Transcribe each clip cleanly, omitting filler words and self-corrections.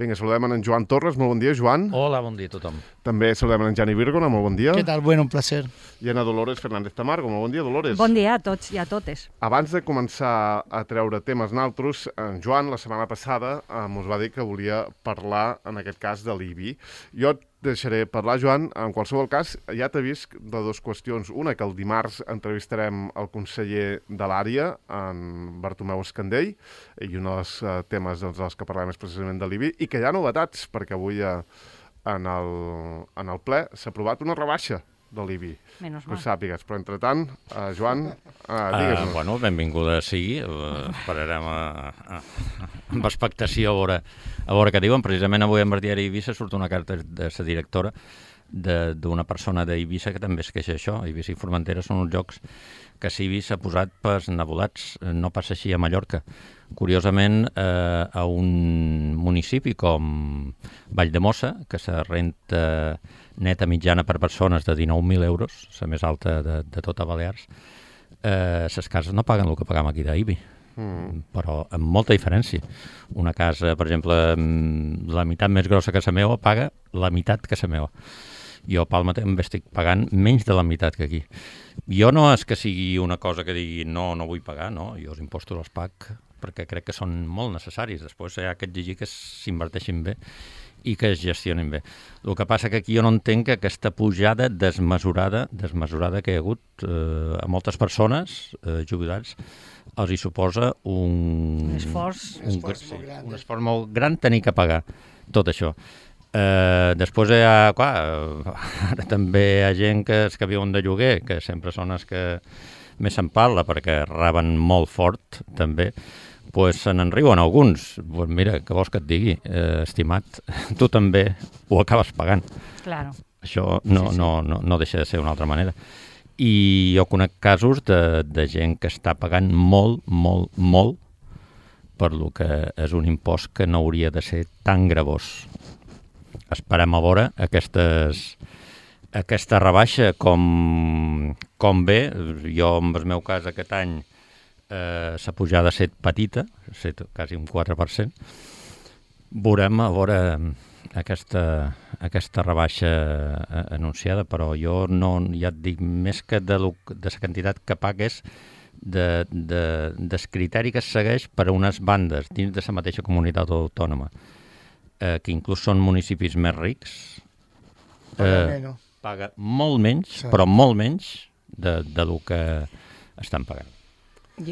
Vinga, saludem en Joan Torres, molt bon dia, Joan. Hola, bon dia a tothom. També saludem en Jani Vírgona, molt bon dia. Què tal? Bueno, un placer. I en Dolores Fernández Tamargo, molt bon dia, Dolores. Bon dia a tots i a totes. Abans de començar a treure temes naltros, en Joan, la setmana passada, ens va dir que volia parlar, en aquest cas, de l'IBI. Jo et deixaré parlar, Joan. En qualsevol cas, ja t'he vist de dues qüestions. Una, que el dimarts entrevistarem el conseller de l'àrea, en Bartomeu Escandell, i un dels temes dels que parlem és precisament de l'IBI, i que hi ha novetats, perquè avui en el ple s'ha aprovat una rebaixa de l'IBI. Menys Que ho mal. sàpigues. Però, entretant, Joan, digues-nos. Bueno, benvinguda sigui. Esperarem amb expectació a veure què diuen. Precisament avui en el diari Eivissa surt una carta de la directora d'una persona d'Eivissa que també es queixa això. Eivissa i Formentera són uns llocs que Civi s'ha posat pels nebulats. No passa així a Mallorca. Curiosament, a un municipi com Valldemossa, que se renta neta mitjana per persones de 19.000 euros, la més alta de tota Balears, les cases no paguen el que pagam aquí d'IBI, però amb molta diferència. Una casa, per exemple, la meitat més grossa que la meva paga la meitat que la meva. Jo a Palma també estic pagant menys de la meitat que aquí. Jo no és que sigui una cosa que digui no vull pagar, no, jo els impostos els pac perquè crec que són molt necessaris. Després hi ha que exigir que s'inverteixin bé i que es gestionin bé. El que passa que aquí jo no entenc que aquesta pujada desmesurada que hi ha hagut a moltes persones, jubilats, els hi suposa un esforç molt gran tenir que pagar tot això. Després hi ha, clar, ara també hi ha gent que viuen de lloguer, que sempre són els que més se'n parla perquè reben molt fort també, pues se n'enriuen alguns. Pues mira, què vols que et digui, estimat, tu també ho acabes pagant. Claro. Això no deixa de ser una altra manera. I jo conec casos de gent que està pagant molt per lo que és un impost que no hauria de ser tan gravós. Esperem a veure aquesta rebaixa com ve. Jo, en el meu cas, aquest any, la pujada ha estat petita, ha estat quasi un 4%. Veurem a veure aquesta rebaixa anunciada, però jo no, ja et dic, més que de la quantitat que pagues, del criteri que es segueix per a unes bandes dins de la mateixa comunitat autònoma, que inclús són municipis més rics, paga molt menys, però molt menys de lo que estan pagant.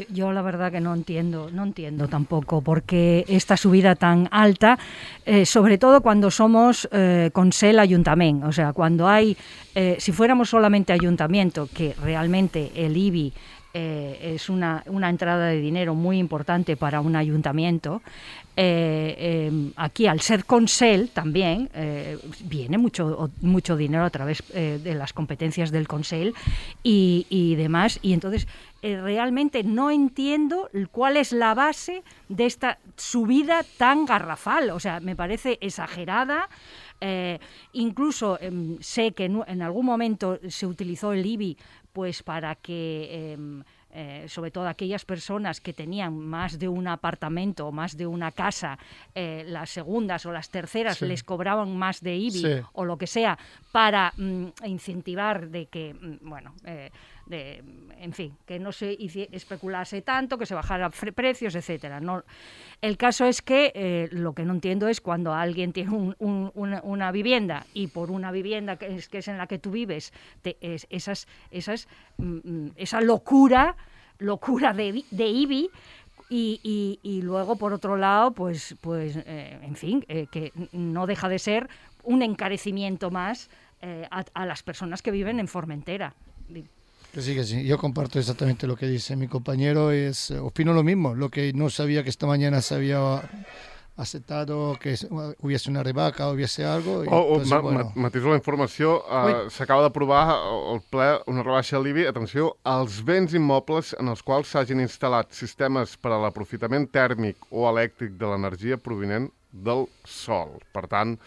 Yo la verdad que no entiendo tampoco por qué esta subida tan alta, sobre todo cuando somos Consell Ayuntament. O sea, cuando hay, si fuéramos solamente ayuntamiento, que realmente el IBI es una entrada de dinero muy importante para un ayuntamiento, aquí al ser Consell también viene mucho dinero a través de las competencias del Consell y demás, y entonces realmente no entiendo cuál es la base de esta subida tan garrafal. O sea, me parece exagerada. Incluso sé que en algún momento se utilizó el IBI pues para que sobre todo aquellas personas que tenían más de un apartamento o más de una casa, las segundas o las terceras les cobraban más de IBI o lo que sea para incentivar de que, en fin, que no se especulase tanto, que se bajaran precios, etcétera. No, el caso es que lo que no entiendo es cuando alguien tiene una vivienda y por una vivienda que es en la que tú vives, esa locura de IBI. Y luego, por otro lado, pues en fin, que no deja de ser un encarecimiento más a las personas que viven en Formentera. Que sí, yo comparto exactamente lo que dice mi compañero, opino lo mismo, lo que no sabía que esta mañana se había aceptado que hubiese una rebaja, hubiese algo. Matiso la informació, s'acaba d'aprovar al ple una rebaixa de l'IBI, atenció, als béns immobles en els quals s'hagin instal·lat sistemes per a l'aprofitament tèrmic o elèctric de l'energia provinent del sol. Per tant,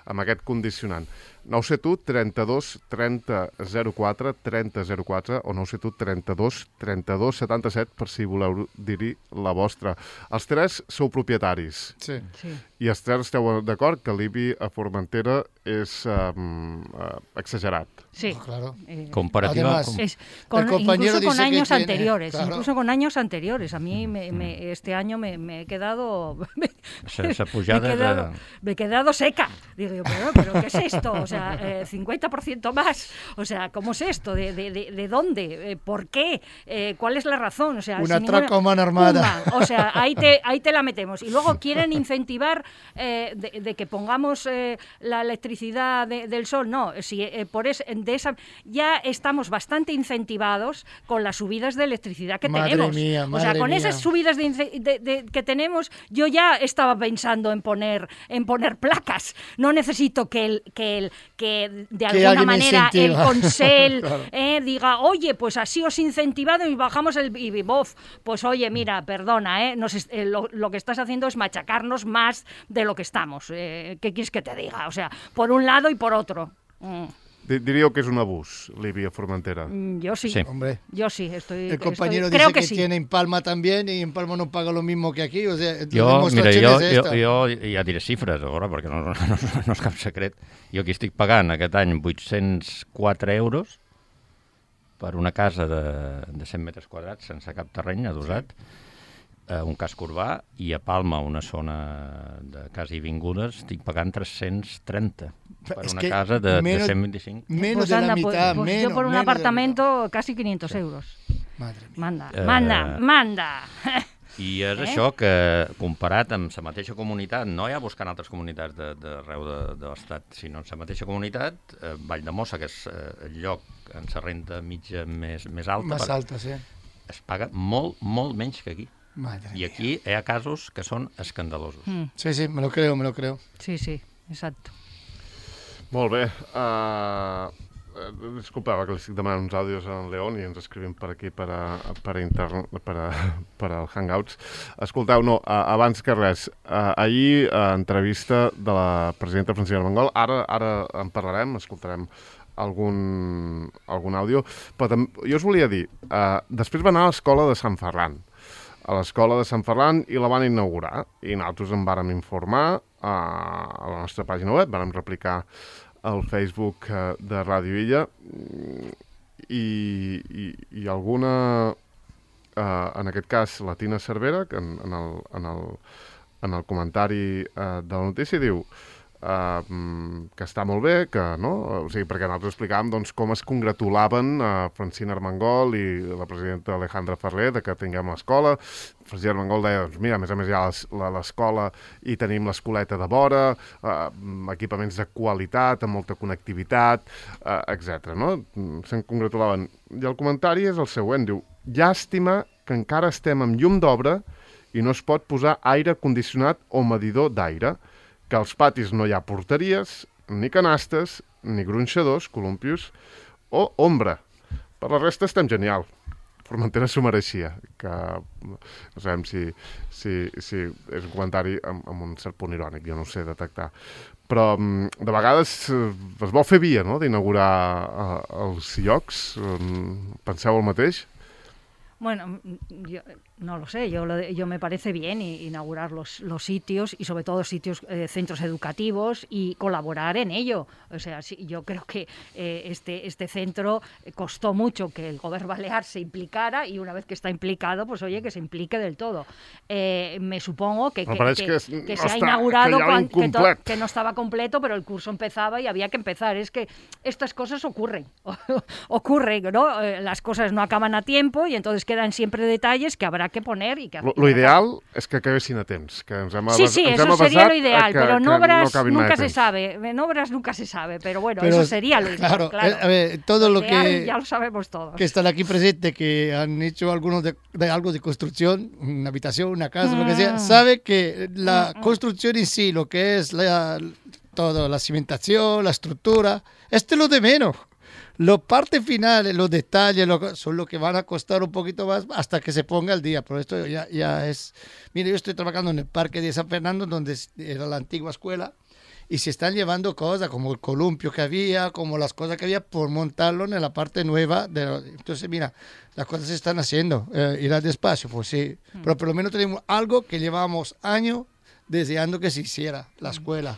amb aquest condicionant. 971 32 30 04 30 04 o 971 32 32 77 per si voleu dir-hi la vostra. Els tres sou propietaris. Sí. I Esther, esteu d'acord que l'IBI a Formentera és exagerat? Sí. Claro. Comparativa. Además, el compañero incluso con dice que años tiene- anteriores. claro. Incluso con años anteriores. A mí este año me he quedado... Esa pujada me he quedado seca. Digo yo, pero ¿qué es esto? O sea, 50% más. O sea, ¿cómo es esto? ¿De dónde? ¿Por qué? ¿Cuál es la razón? O sea, Un sin atraco a mano armada. Pumba. O sea, ahí te la metemos. Y luego quieren incentivar de que pongamos la electricidad del sol. No, si ya estamos bastante incentivados con las subidas de electricidad que Madre tenemos. mía, o sea, madre con mía. esas subidas que tenemos, yo ya estaba pensando en poner placas. No necesito que de alguna alguien me manera el incentiva. Consell Claro. diga, oye, pues así os he incentivado y bajamos el IBIBOF. Pues oye, mira, perdona, lo que estás haciendo es machacarnos más de lo que estamos. ¿Qué quieres que te diga? O sea, por un lado y por otro. Diríeu que és un abús, l'IBI a Formentera. Yo sí. Sí. Hombre, Yo sí, el compañero creo dice que sí. tiene en Palma también y en Palma no paga lo mismo que aquí. O sea, la Jo demostración es esta. ja diré xifres, ara, perquè no és cap secret. Jo aquí estic pagant aquest any 804 euros per una casa de 100 metres quadrats sense cap terreny adossat, un casc urbà, i a Palma, una zona de quasi vingudes, estic pagant 330 per Es una que casa de menos- 125. Menos Pues de la anda, mitad, pues menos. yo por un menos de la apartamento casi 500 euros. mitad. Madre mía. Manda. I és això que, comparat amb la mateixa comunitat, no ja buscant altres comunitats d'arreu de l'Estat, sinó en la mateixa comunitat, Valldemossa, que és el lloc en la renda mitja més alta, Más alta, sí. es paga molt, molt menys que aquí. Madre I mía. aquí hi ha casos que són escandalosos. Sí, sí, me lo creo, me lo creo. Sí, exacto. Molt bé. Disculpava que li estic demanant uns àudios a en León i ens escrivim per aquí per al Hangouts. Escolteu, no, abans que res, ahir entrevista de la presidenta Francina Armengol, ara en parlarem, escoltarem algun àudio, però també, jo us volia dir, després va anar a l'escola de Sant Ferran, i la van inaugurar, i nosaltres en vàrem informar a la nostra pàgina web, vàrem replicar al Facebook de Ràdio Illa, i alguna, en aquest cas la Tina Cervera, que en el comentari de la notícia diu que està molt bé, que no, o sigui, perquè nosaltres explicàvem doncs, com es congratulaven Francina Armengol i la presidenta Alejandra Ferrer de que tinguem l'escola. Francina Armengol deia, doncs mira, a més hi ha l'escola i tenim l'escoleta de vora, equipaments de qualitat, amb molta connectivitat, etc. No? Se'n congratulaven. I el comentari és el següent, diu, llàstima que encara estem amb llum d'obra i no es pot posar aire condicionat o medidor d'aire, que als patis no hi ha porteries, ni canastes, ni gronxadors, columpios o ombra. Per la resta estem genial. Formentera s'ho mereixia, que no sabem si és un comentari amb un cert punt irònic, jo no ho sé detectar. Però de vegades es vol fer via, no?, d'inaugurar els llocs. Penseu el mateix? Bueno, yo no lo sé, yo me parece bien inaugurar los sitios y sobre todo centros educativos y colaborar en ello. O sea, sí, yo creo que este centro costó mucho que el Gobierno Balear se implicara y una vez que está implicado, pues oye, que se implique del todo. Me supongo que se ha inaugurado que no estaba completo, pero el curso empezaba y había que empezar. Es que estas cosas ocurren, ¿no? Las cosas no acaban a tiempo y entonces quedan siempre detalles que habrá que poner y que... Lo ideal és que acabessin a temps, que ens hem Sí, eso sería lo ideal, pero en obras nunca se sabe, pero bueno, eso sería lo ideal, claro. A ver, todo lo que... Ya lo sabemos todos. Que están aquí presentes, que han hecho algunos de algo de construcción, una habitación, una casa, lo que sea, sabe que la construcción en sí, lo que es toda la cimentación, la estructura, esto es lo de menos. Los partes finales, los detalles, son lo que van a costar un poquito más hasta que se ponga al día. Pero esto ya es... Mire, yo estoy trabajando en el Parque de San Fernando, donde era la antigua escuela, y se están llevando cosas como el columpio que había, como las cosas que había, por montarlo en la parte nueva. Entonces, mira, las cosas se están haciendo. Irá despacio, pues sí. Pero por lo menos tenemos algo que llevamos años deseando que se hiciera la escuela.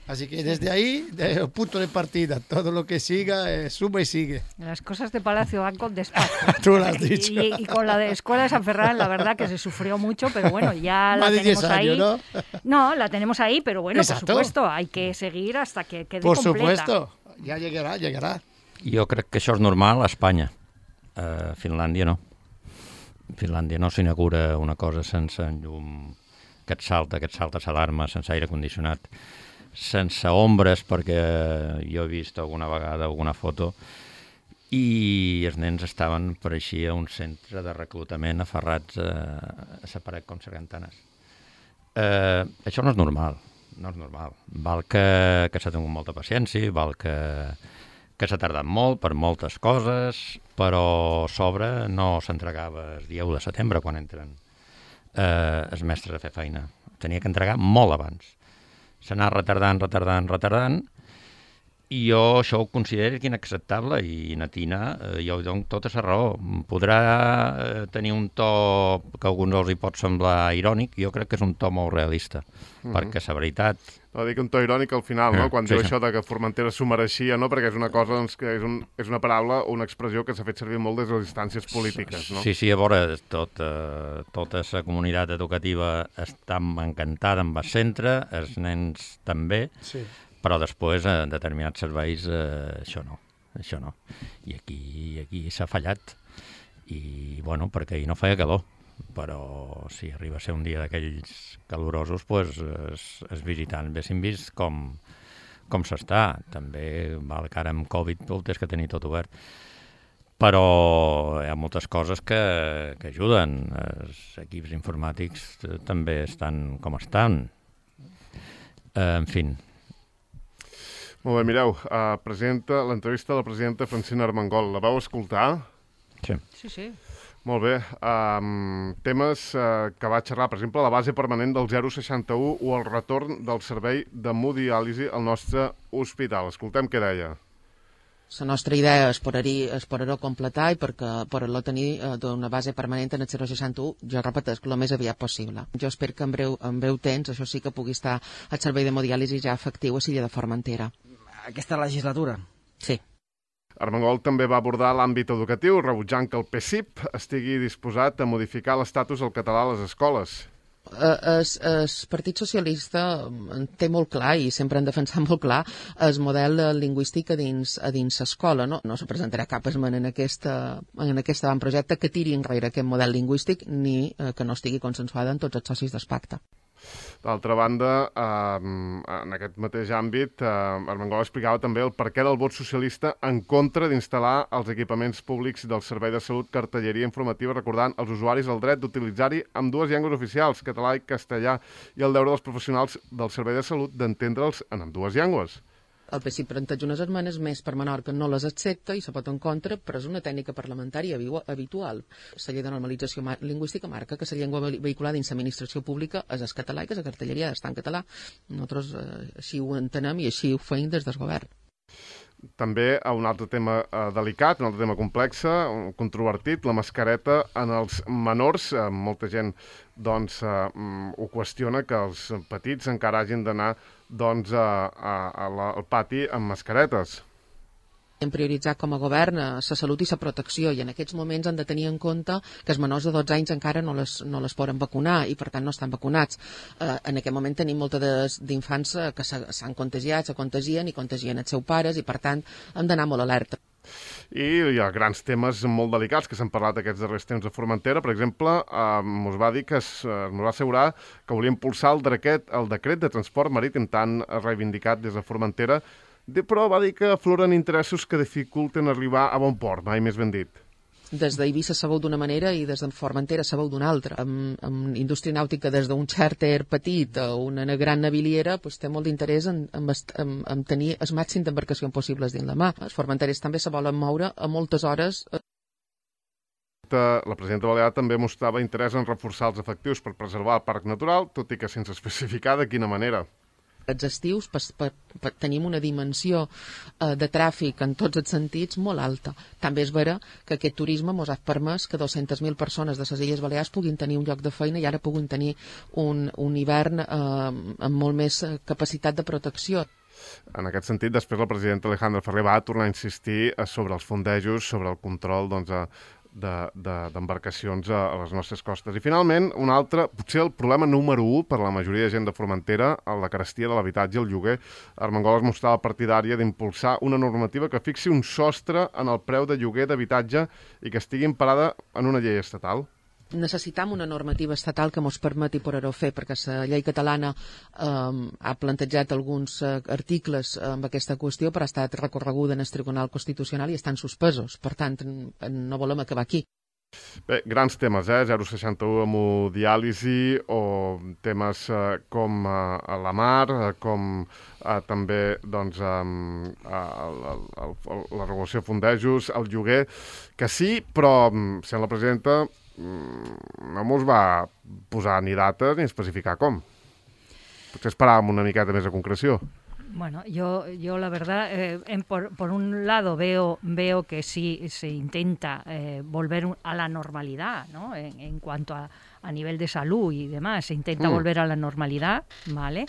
Así que desde ahí, desde el punto de partida, todo lo que siga, suma y sigue. Las cosas de Palacio van con despacio. Tú lo has dicho. Y con la de Escuela de San Ferran, la verdad que se sufrió mucho, pero bueno, ya la Más de 10 tenemos ahí. años, ¿no? No, la tenemos ahí, pero bueno, Exacto. por supuesto, hay que seguir hasta que quede Por completa. supuesto, ya llegará. Jo crec que això és normal a Espanya. A Finlàndia no. A Finlàndia no s'inaugura una cosa sense llum que et salta l'alarma, sense aire condicionat, sense ombres, perquè jo he vist alguna vegada alguna foto i els nens estaven, pareixia un centre de reclutament aferrats a la paret com sargantanes. Això no és normal, no és normal. Val que s'ha tingut molta paciència, val que s'ha tardat molt per moltes coses, però a sobre no s'entregava el dia 1 de setembre quan entren els mestres a fer feina. Tenia que entregar molt abans. S'ha anat retardant, i jo això ho considero inacceptable, i na Tina, jo dono tota la raó. Podrà tenir un to que a alguns els hi pot semblar irònic, jo crec que és un to molt realista, perquè la veritat... No, dic un to irònic al final, no? Quan sí, diu sí. això de que Formentera s'ho mereixia, no? Perquè és una cosa, doncs, que és una paraula o una expressió que s'ha fet servir molt des de les instàncies polítiques, no? Sí, a veure, tota la comunitat educativa està encantada amb el centre, els nens també, Sí. però després en determinats serveis això no. I aquí s'ha fallat. I, bueno, perquè ahir no feia calor, però si arriba a ser un dia d'aquells calorosos, doncs els visitants haguessin vist com s'està. També val que ara amb Covid ho tens que tenir tot obert. Però hi ha moltes coses que ajuden. Els equips informàtics també estan com estan. En fi. Molt bé, mireu, l'entrevista de la presidenta Francina Armengol. La vau escoltar? Sí. Sí. Molt bé. Temes que va xerrar, per exemple, la base permanent del 061 o el retorn del servei d'hemodiàlisi al nostre hospital. Escoltem què deia. La nostra idea és poder-ho completar i per tenir d'una base permanent en el 061, jo repeteix, el més aviat possible. Jo espero que en breu temps això sí que pugui estar el servei d'hemodiàlisi ja efectiu a Silla de Formentera. Aquesta legislatura? Sí. Armengol també va abordar l'àmbit educatiu, rebutjant que el PSIP estigui disposat a modificar l'estatus del català a les escoles. El Partit Socialista té molt clar, i sempre han defensat molt clar, el model lingüístic a dins l'escola. No se presentarà cap esmena en aquest avantprojecte que tiri enrere aquest model lingüístic ni que no estigui consensuada en tots els socis del pacte. D'altra banda, en aquest mateix àmbit, Armengol explicava també el perquè del vot socialista en contra d'instal·lar als equipaments públics del Servei de Salut cartelleria informativa recordant als usuaris el dret d'utilitzar-hi amb dues llengües oficials, català i castellà, i el deure dels professionals del Servei de Salut d'entendre'ls en ambdues llengües. El PSC planteja unes esmenes més per Menorca no les accepta i se pot en contra, però és una tècnica parlamentària habitual. La llei de normalització lingüística marca que la llengua vehicular dins l'administració pública és el català i que la cartelleria està en català. Nosaltres així ho entenem i així ho feim des del govern. També un altre tema delicat, un altre tema complex, controvertit, la mascareta en els menors. Molta gent ho qüestiona, que els petits encara hagin d'anar al pati amb mascaretes. Hem prioritzat com a govern la salut i la protecció, i en aquests moments han de tenir en compte que els menors de 12 anys encara no les poden vacunar i per tant no estan vacunats. En aquest moment tenim moltes d'infants que s'han contagiat, se contagien i contagien els seus pares, i per tant hem d'anar molt alerta. I hi ha grans temes molt delicats que s'han parlat aquests darrers temps a Formentera. Per exemple, ens va dir ens va assegurar que volia impulsar el decret de transport marítim tan reivindicat des de Formentera, però va dir que afloren interessos que dificulten arribar a bon port, mai més ben dit. Des d'Eivissa se veu d'una manera i des de Formentera se veu d'una altra. Amb indústria nàutica, des d'un xàrter petit a una gran naviliera, té molt d'interès en tenir el màxim d'embarcacions possibles dins la mà. Els formenteres també se volen moure a moltes hores. La presidenta balear també mostrava interès en reforçar els efectius per preservar el parc natural, tot i que sense especificar de quina manera. Els estius tenim una dimensió de tràfic en tots els sentits molt alta. També és vera que aquest turisme ens ha permès que 200.000 persones de les Illes Balears puguin tenir un lloc de feina i ara puguin tenir un hivern amb molt més capacitat de protecció. En aquest sentit, després la presidenta Alejandra Ferrer va tornar a insistir sobre els fondejos, sobre el control d'embarcacions a les nostres costes. I finalment, un altre, potser el problema número 1 per a la majoria de gent de Formentera, la carestia de l'habitatge i el lloguer. Armengol es mostrava partidària d'impulsar una normativa que fixi un sostre en el preu de lloguer d'habitatge i que estigui emparada en una llei estatal. Necessitam una normativa estatal que ens permeti poder-ho fer, perquè la llei catalana ha plantejat alguns articles amb aquesta qüestió, però ha estat recorreguda en el Tribunal Constitucional i estan suspesos. Per tant, no volem acabar aquí. Bé, grans temes, 061 hemodiàlisi o temes com la mar, com també doncs, la regulació de fondejos, el lloguer, que sí, però sent la presidenta no mos va posar ni dates ni especificar com. Potser esperàvem una miqueta més de concreció. Bueno, yo la verdad, por un lado veo que sí se intenta volver a la normalidad, ¿no? En cuanto a nivel de salud y demás, se intenta volver a la normalidad, ¿vale?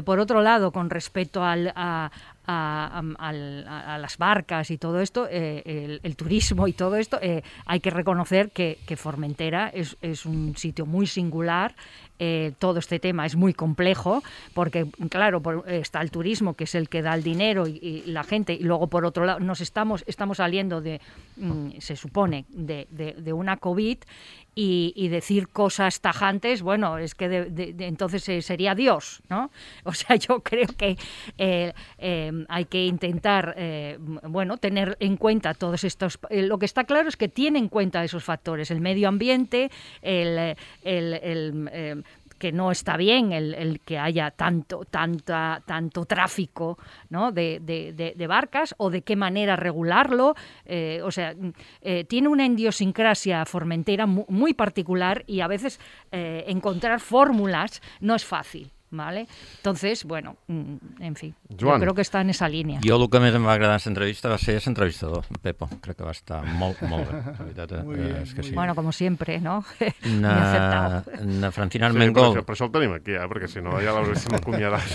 Por otro lado, con respecto a las barcas y todo esto, el turismo y todo esto, hay que reconocer que Formentera es un sitio muy singular. Todo este tema es muy complejo porque, claro, está el turismo, que es el que da el dinero y la gente, y luego, por otro lado, estamos saliendo se supone, de una COVID, y decir cosas tajantes, bueno, es que entonces sería Dios, ¿no? O sea, yo creo que hay que intentar, tener en cuenta todos estos... lo que está claro es que tiene en cuenta esos factores, el medio ambiente, que no está bien el que haya tanto tráfico, ¿no? de barcas, o de qué manera regularlo. Tiene una idiosincrasia formentera muy particular, y a veces encontrar fórmulas no es fàcil. ¿Vale? Entonces, bueno, en fi, Joan. Jo crec que està en esa línia. Jo el que més em va agradar en l'entrevista va ser l'entrevistador, Pepo. Crec que va estar molt bé. La veritat és que sí. Bueno, como siempre, ¿no? Muy acertado. Na Francina Sí, Armengol... per això el tenim aquí, perquè si no ja l'hauréssim acomiadat.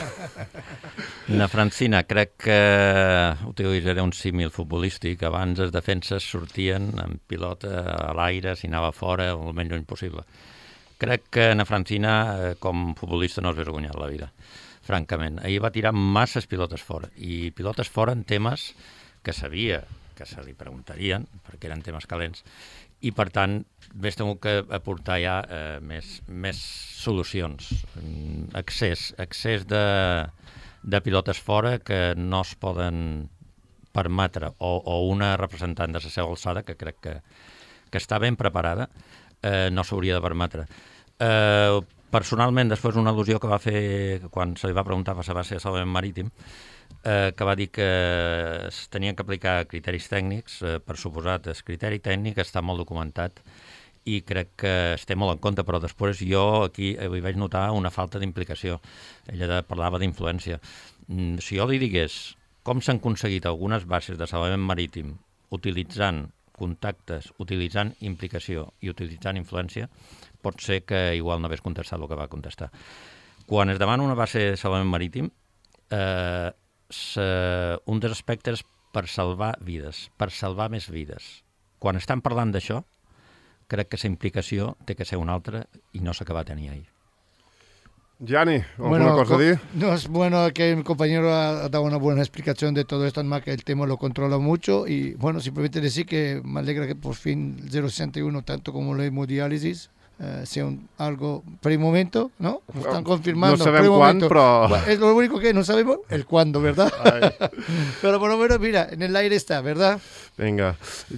Na Francina, crec que utilitzaré un símil futbolístic. Abans les defenses sortien amb pilota a l'aire, si anava fora, el menys lluny possible. Crec que na Francina, com futbolista, no es vergonyat la vida, francament. Ahir va tirar masses pilotes fora, i pilotes fora en temes que sabia que se li preguntarien, perquè eren temes calents, i per tant més tingut que aportar ja més solucions. Excés de pilotes fora que no es poden permetre, o una representant de la seva alçada, que crec que està ben preparada, no s'hauria de permetre. Personalment, després una al·lusió que va fer quan se li va preguntar per la base de salvament marítim, que va dir que es tenien que aplicar criteris tècnics. Per suposat, el criteri tècnic està molt documentat i crec que es té molt en compte, però després jo aquí hi vaig notar una falta d'implicació. Ella parlava d'influència. Si jo li digués com s'han aconseguit algunes bases de salvament marítim utilitzant contactes, utilitzant implicació i utilitzant influència, pot ser que igual no hagués contestat el que va contestar. Quan es demana una base de salvament marítim, un dels aspectes per salvar vides, per salvar més vides. Quan estan parlant d'això, crec que la implicació té que ser una altra i no s'acaba de tenir ahir. Gianni, ¿alguna cosa a decir? No, es bueno que mi compañero ha dado una buena explicación de todo esto, además que el tema lo controla mucho, y bueno, simplemente decir que me alegra que por fin 061, tanto como la hemodiálisis, sea algo por el momento, ¿no? Lo están confirmando. No sabemos cuándo, pero... Bueno, es lo único que no sabemos, el cuándo, ¿verdad? Pero por lo menos, mira, en el aire está, ¿verdad? Vinga.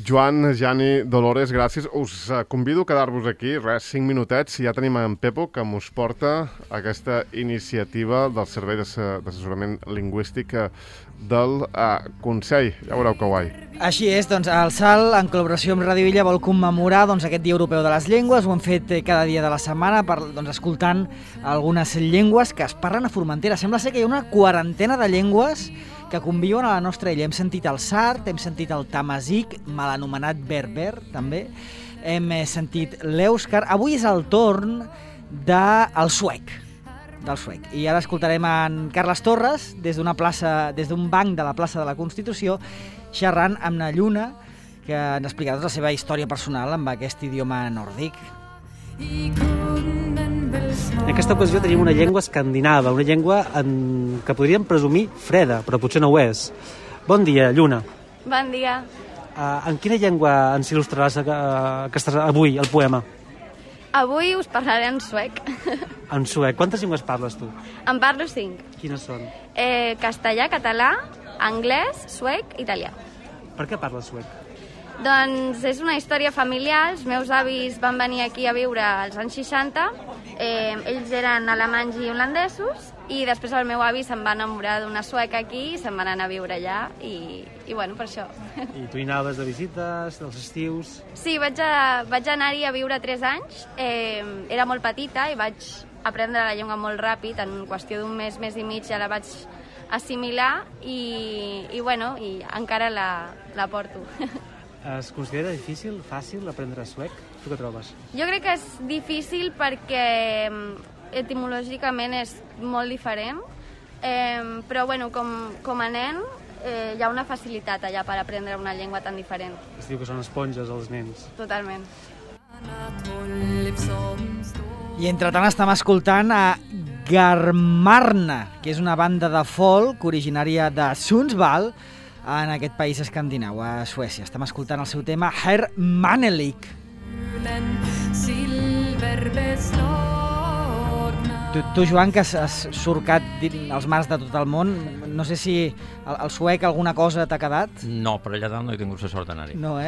Joan, Gianni, Dolores, gràcies. Us convido a quedar-vos aquí, 5 minutets, i ja tenim en Pepo, que mos porta aquesta iniciativa del Servei d'Assessorament Lingüístic del Consell. Ja veureu que guai. Així és, doncs el SAL, en col·laboració amb Radio Illa, vol commemorar aquest Dia Europeu de les Llengües. Ho han fet cada dia de la setmana escoltant algunes llengües que es parlen a Formentera. Sembla ser que hi ha una quarantena de llengües que conviuen a la nostra illa. Hem sentit el sard, hem sentit el tamazic, mal anomenat berber, també. Hem sentit l'èuscar. Avui és el torn del suec. I ara escoltarem en Carles Torres des d'un banc de la plaça de la Constitució, xerrant amb na Lluna, que ens explicarà tota la seva història personal amb aquest idioma nòrdic. En aquesta ocasió tenim una llengua escandinava, una llengua que podríem presumir freda, però potser no ho és. Bon dia, Lluna. Bon dia. En quina llengua ens il·lustraràs avui el poema? Avui us parlaré en suec. En suec. Quantes llengües parles tu? En parlo 5. Quines són? Castellà, català, anglès, suec, italià. Per què parles suec? Doncs és una història familiar. Els meus avis van venir aquí a viure als anys 60. Ells eren alemanys i holandesos i després el meu avi se'n va enamorar d'una sueca aquí i se'n van anar a viure allà i bueno, per això. I tu hi anaves de visites, dels estius? Sí, vaig anar-hi a viure 3 anys. Era molt petita i vaig aprendre la llengua molt ràpid. En qüestió d'un mes i mig ja la vaig assimilar i bueno, i encara la porto. Es considera difícil, fàcil aprendre suec? Tu què trobes? Jo crec que és difícil perquè etimològicament és molt diferent, però bueno, com a nen hi ha una facilitat allà per aprendre una llengua tan diferent. Es diu que són esponges els nens. Totalment. I entretant estem escoltant a Garmarna, que és una banda de folk originària de Sundsvall, en aquest país escandinau, a Suècia. Estem escoltant el seu tema Herr Manelik. Tu, Joan, que has surcat els mars de tot el món, no sé si el suec alguna cosa t'ha quedat? No, per allà dalt no he tingut la sort d'anar-hi. No,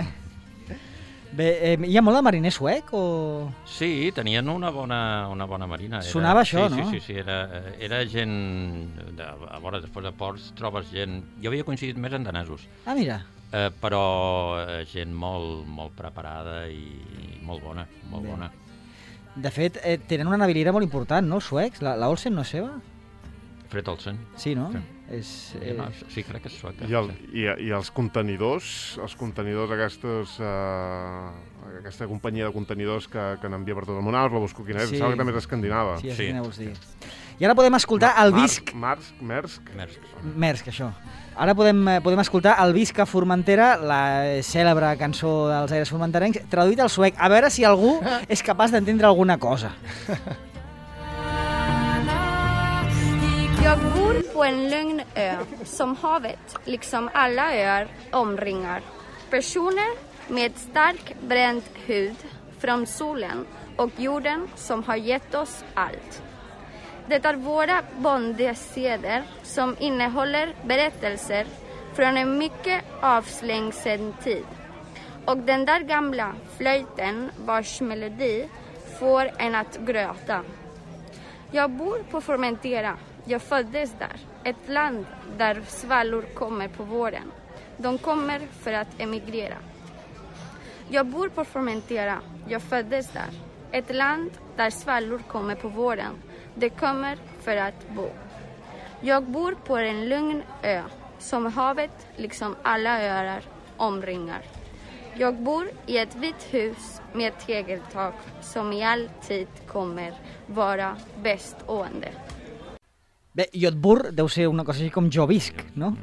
Bé, hi ha molt de mariner suec o...? Sí, tenien una bona marina. Sonava això, no? Sí, era gent... A veure, després de ports trobes gent... Jo havia coincidit més en danesos. Ah, mira. Però gent molt preparada i molt bona, molt bona. De fet, tenen una naviliera molt important, no, els suecs? La Olsen no és seva? Fred Olsen. Sí, no? Sí. Sí, crec que és sueca. I els contenidors aquesta companyia de contenidors que n'envia per tot el món, us la busco quina és, em sembla que també és escandinava. Sí, quina vols dir. I ara podem escoltar el Visc... Maersk, això. Ara podem escoltar el Visc a Formentera, la cèlebre cançó dels aires formenterencs, traduït al suec. A veure si algú és capaç d'entendre alguna cosa. Jag bor på en lugn ö som havet, liksom alla öar, omringar. Personer med stark bränd hud från solen och jorden som har gett oss allt. Det är våra bondeseder som innehåller berättelser från en mycket avslängsen tid. Och den där gamla flöjten vars melodi får en att gråta. Jag bor på Formentera. Jag föddes där, ett land där svallor kommer på våren. De kommer för att emigrera. Jag bor på Formentera, jag föddes där, ett land där svallor kommer på våren. De kommer för att bo. Jag bor på en lugn ö som havet, liksom alla öar, omringar. Jag bor i ett vitt hus med tegeltak som i all tid kommer vara bestående. Bé, Jodhpur deu ser una cosa així com jo visc, ¿no?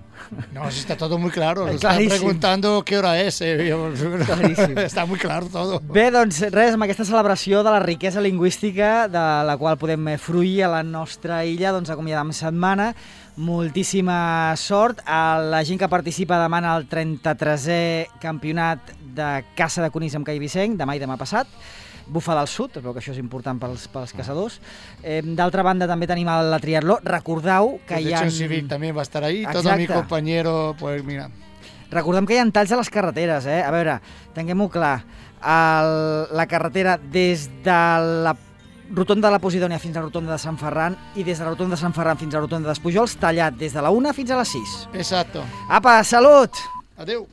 No, está todo muy claro. Nos están preguntando qué hora es. Está muy claro todo. Bé, doncs res, amb aquesta celebració de la riquesa lingüística de la qual podem fruir a la nostra illa, doncs acomiadam setmana. Moltíssima sort a la gent que participa demà en el 33è campionat de caça de conills amb Cai Vicenc, demà i demà passat. Bufa del Sud, però que això és important pels caçadors. D'altra banda, també tenim la triatló. Recordeu que hi ha... Protecció Civil també va estar ahí. Exacte. Todo mi compañero, pues mira... Recordem que hi ha talls a les carreteres, A veure, tinguem-ho clar. La carretera des de la rotonda de la Posidònia fins a la rotonda de Sant Ferran i des de la rotonda de Sant Ferran fins a la rotonda d'Espujols, tallat des de la 1 fins a les 6. Exacto. Apa, salut! Adéu.